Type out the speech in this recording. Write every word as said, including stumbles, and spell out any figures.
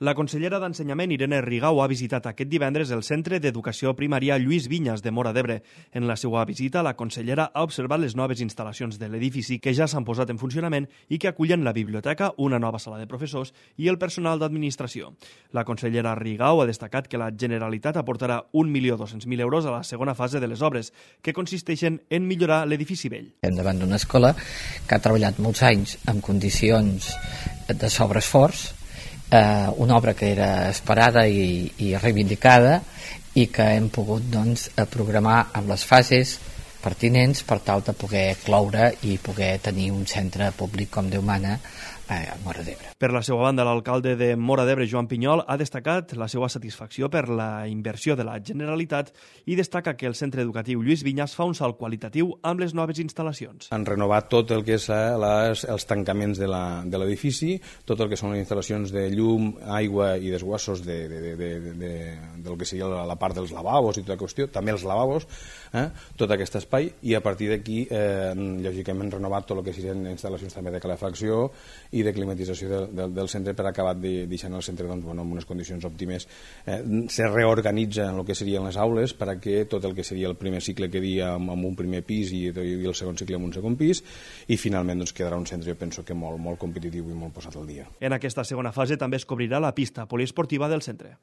La consellera d'Ensenyament, Irene Rigau, ha visitat aquest divendres el Centre d'Educació Primària Lluís Vinyes de Móra d'Ebre. En la seva visita, la consellera ha observat les noves instal·lacions de l'edifici que ja s'han posat en funcionament i que acullen la biblioteca, una nova sala de professors i el personal d'administració. La consellera Rigau ha destacat que la Generalitat aportarà un milió dos-cents mil euros a la segona fase de les obres, que consisteixen en millorar l'edifici vell. Estem davant d'una escola que ha treballat molts anys en condicions de sobreesforç, Eh, una obra que era esperada i, i reivindicada i que hem pogut doncs, programar amb les fases pertinents per tal de poder cloure i poder tenir un centre públic com Déu mana a Móra d'Ebre. Per la seva banda, l'alcalde de Móra d'Ebre, Joan Pinyol, ha destacat la seva satisfacció per la inversió de la Generalitat i destaca que el centre educatiu Lluís Vinyes fa un salt qualitatiu amb les noves instal·lalacions. Han renovat tot el que és les, els tancaments de l'edifici, tot el que són les instal·lacions de llum, aigua i desguassos de, de, de, de, de, del que seria la, la part dels lavabos i tota la qüestió, també els lavabos, eh, tot aquest espai, i a partir d'aquí, eh, lògicament, han renovat tot el que serien instal·lacions també de calefacció i de climatització del, del, del centre per acabar de, deixant el centre doncs, bueno, en unes condicions òptimes. Eh, se reorganitza en el que serien les aules per a que tot el que seria el primer cicle quedi amb, amb un primer pis i, i el segon cicle amb un segon pis, i finalment doncs, quedarà un centre, jo penso que molt, molt competitiu i molt posat al dia. En aquesta segona fase també es cobrirà la pista poliesportiva del centre.